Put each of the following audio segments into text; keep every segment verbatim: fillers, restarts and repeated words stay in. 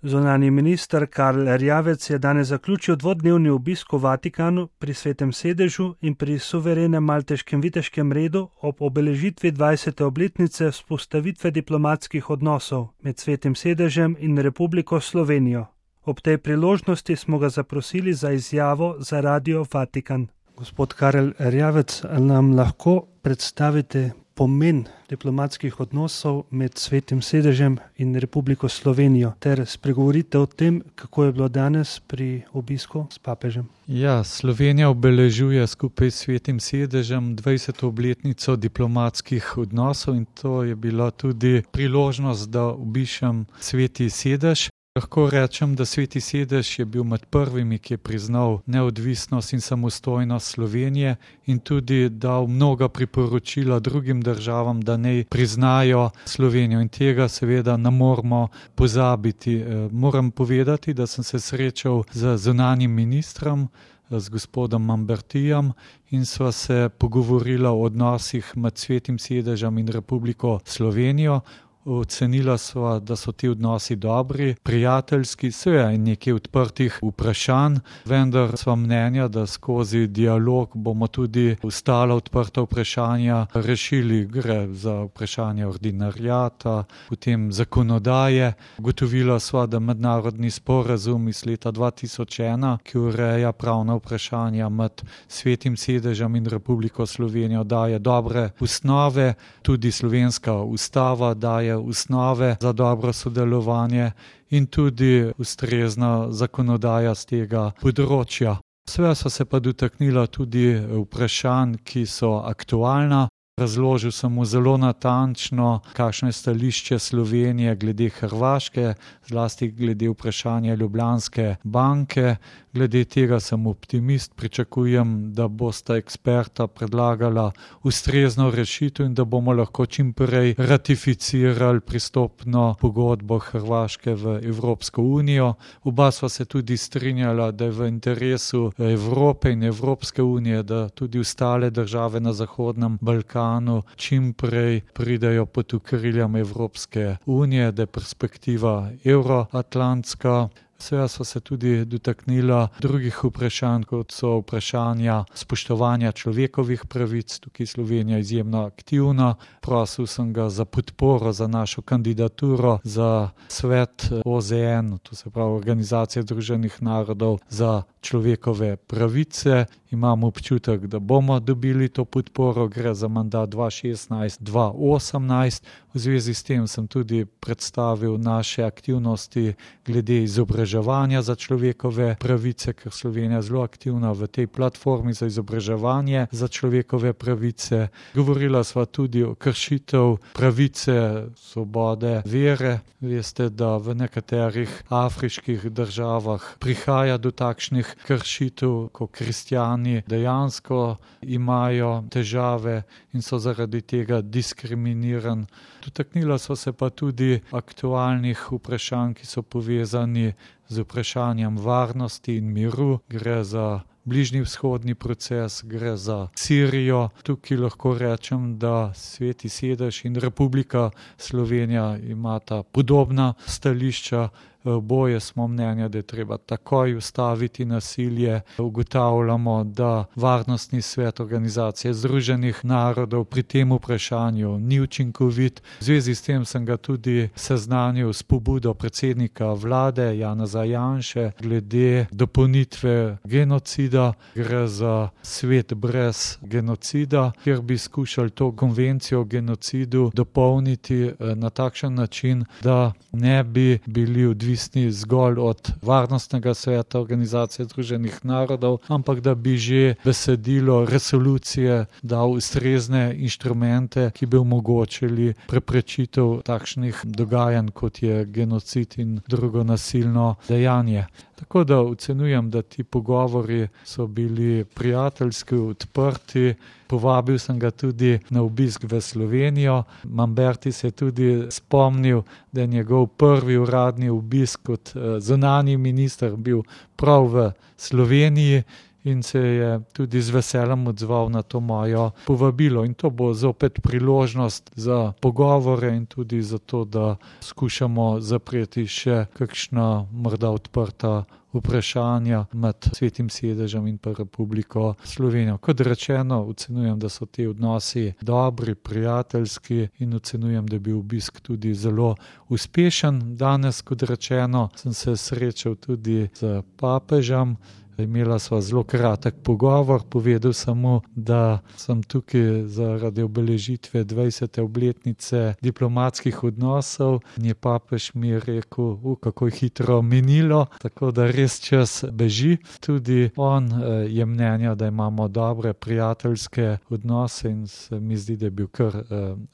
Zunanji minister Karl Erjavec je danes zaključil dvodnevni obisk v Vatikanu pri Svetem sedežu in pri suverenem malteškem viteškem redu ob obeležitvi dvajsete obletnice vzpostavitve diplomatskih odnosov med Svetim sedežem in Republiko Slovenijo. Ob tej priložnosti smo ga zaprosili za izjavo za Radio Vatikan. Gospod Karl Erjavec, nam lahko predstavite pomen diplomatskih odnosov med Svetim sedežem in Republiko Slovenijo ter spregovorite o tem, kako je bilo danes pri obisku s papežem. Ja, Slovenija obeležuje skupaj s Svetim sedežem dvajseto obletnico diplomatskih odnosov in to je bila tudi priložnost, da obišem Sveti sedež. Lahko rečem, da Sveti sedež je bil med prvimi, ki je priznal neodvisnost in samostojnost Slovenije in tudi dal mnoga priporočila drugim državam, da naj priznajo Slovenijo in tega seveda ne moramo pozabiti. Moram povedati, da sem se srečal z zunanjim ministrom, z gospodom Mambertijem in sva se pogovorila o odnosih med Svetim sedežem in Republiko Slovenijo. Ocenila sva, da so ti odnosi dobri, prijateljski, seveda in nekaj odprtih vprašanj, vendar sva mnenja, da skozi dialog bomo tudi ostala odprta vprašanja rešili. Gre za vprašanje ordinariata, potem zakonodaje. Ugotovila sva, da mednarodni sporazum iz leta dva tisoč ena, ki ureja pravna vprašanja med Svetim sedežem in Republiko Slovenijo, daje dobre osnove, tudi slovenska ustava daje osnove za dobro sodelovanje in tudi ustrezna zakonodaja z tega področja. Seveda so se pa dotaknila tudi vprašanj, ki so aktualna. Razložil sem mu zelo natančno, kakšno je stališče Slovenije glede Hrvaške, zlasti glede vprašanja Ljubljanske banke. Glede tega sem optimist, pričakujem, da bosta eksperta predlagala ustrezno rešitev in da bomo lahko čim prej ratificirali pristopno pogodbo Hrvaške v Evropsko unijo. Oba sva se tudi strinjala, da je v interesu Evrope in Evropske unije, da tudi ostale države na Zahodnem Balkanu čim prej pridejo pod okriljem Evropske unije, da je perspektiva euroatlantska. Seveda so se tudi dotaknila drugih vprašanj, kot so vprašanja spoštovanja človekovih pravic. Tukaj Slovenija je izjemno aktivna. Prosil sem ga za podporo za našo kandidaturo za svet O Z N, to se pravi Organizacije združenih narodov za človekove pravice. Imam občutek, da bomo dobili to podporo, gre za mandat dva tisoč šestnajst do dva tisoč osemnajst. V zvezi s tem sem tudi predstavil naše aktivnosti glede izobraževanja za človekove pravice, ker Slovenija je zelo aktivna v tej platformi za izobraževanje za človekove pravice. Govorila sva tudi o kršitev pravice svobode vere. Veste, da v nekaterih afriških državah prihaja do takšnih kršitev, ko kristjani dejansko imajo težave in so zaradi tega diskriminirani. Dotaknila so se pa tudi aktualnih vprašanj, ki so povezani z vprašanjem varnosti in miru. Gre za bližnji vzhodni proces, gre za Sirijo. Tukaj lahko rečem, da Sveti sedež in Republika Slovenija imata podobna stališča. Oboje smo mnenja, da je treba takoj ustaviti nasilje. Ugotavljamo, da Varnostni svet Organizacije združenih narodov pri tem vprašanju ni učinkovit. V zvezi s tem sem ga tudi seznanil s pobudo predsednika vlade Janeza Janše glede dopolnitve genocida. Gre za svet brez genocida, kjer bi skušali to konvencijo o genocidu dopolniti na takšen način, da ne bi bili odvisni zgolj od Varnostnega sveta Organizacije združenih narodov, ampak da bi že besedilo resolucije dal ustrezne inštrumente, ki bi omogočili preprečitev takšnih dogajanj, kot je genocid in drugo nasilno dejanje. Tako da ocenjujem, da ti pogovori so bili prijateljski, odprti. Povabil sem ga tudi na obisk v Slovenijo. Mamberti se je tudi spomnil, da je njegov prvi uradni obisk kot zunanji minister bil prav v Sloveniji in se je tudi z veseljem odzval na to mojo povabilo. In to bo zopet priložnost za pogovore in tudi za to, da skušamo zapreti še kakšna morda odprta vprašanja med Svetim sedežem in pa Republiko Slovenijo. Kot rečeno, ocenjujem, da so ti odnosi dobri, prijateljski in ocenjujem, da je bil obisk tudi zelo uspešen. Danes, kot rečeno, sem se srečal tudi z papežem. Imela sva zelo kratek pogovor, povedal samo, da sem tukaj zaradi obeležitve dvajsete obletnice diplomatskih odnosov in je papež mi rekel, u, kako je hitro minilo, tako da res čas beži. Tudi on je mnenja, da imamo dobre prijateljske odnose in se mi zdi, da je bil kar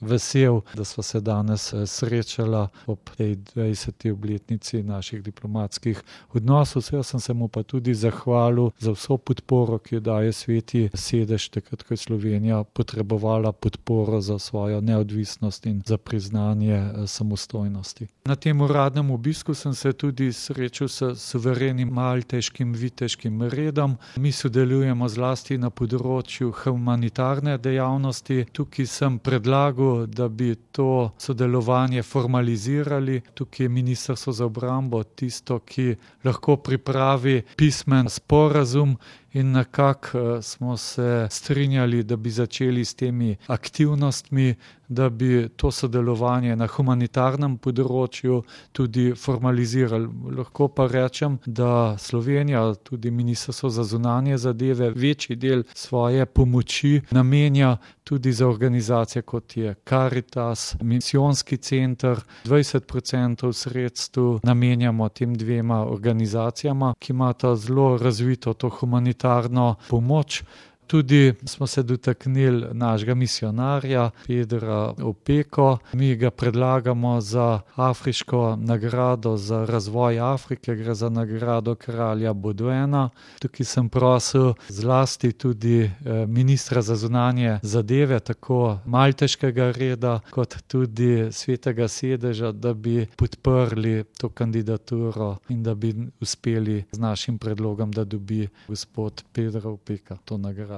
vesel, da sva se danes srečala ob tej dvajseti obletnici naših diplomatskih odnosov. Jaz sem se mu pa tudi zahvalil za vso podporo, ki jo daje Sveti sedež, takrat, ko je Slovenija potrebovala podporo za svojo neodvisnost in za priznanje samostojnosti. Na tem uradnem obisku sem se tudi srečal s suverenim malteškim viteškim redom. Mi sodelujemo zlasti na področju humanitarne dejavnosti. Tukaj sem predlagal, da bi to sodelovanje formalizirali. Tukaj je Ministrstvo za obrambo tisto, ki lahko pripravi pismen sporazum in nekako smo se strinjali, da bi začeli s temi aktivnostmi, da bi to sodelovanje na humanitarnem področju tudi formalizirali. Lahko pa rečem, da Slovenija, tudi Ministrstvo za zunanje zadeve, večji del svoje pomoči namenja tudi za organizacije, kot je Karitas, misijonski center. dvajset procentov sredstev namenjamo tem dvema organizacijama, ki imata zelo razvito to humanitarno pomoč. Tudi smo se dotaknili našega misionarja Pedra Opeko. Mi ga predlagamo za afriško nagrado za razvoj Afrike, gre za nagrado kralja Baudouina. Tukaj sem prosil zlasti tudi ministra za zunanje zadeve, tako malteškega reda, kot tudi Svetega sedeža, da bi podprli to kandidaturo in da bi uspeli z našim predlogom, da dobi gospod Pedro Opeka to nagrado.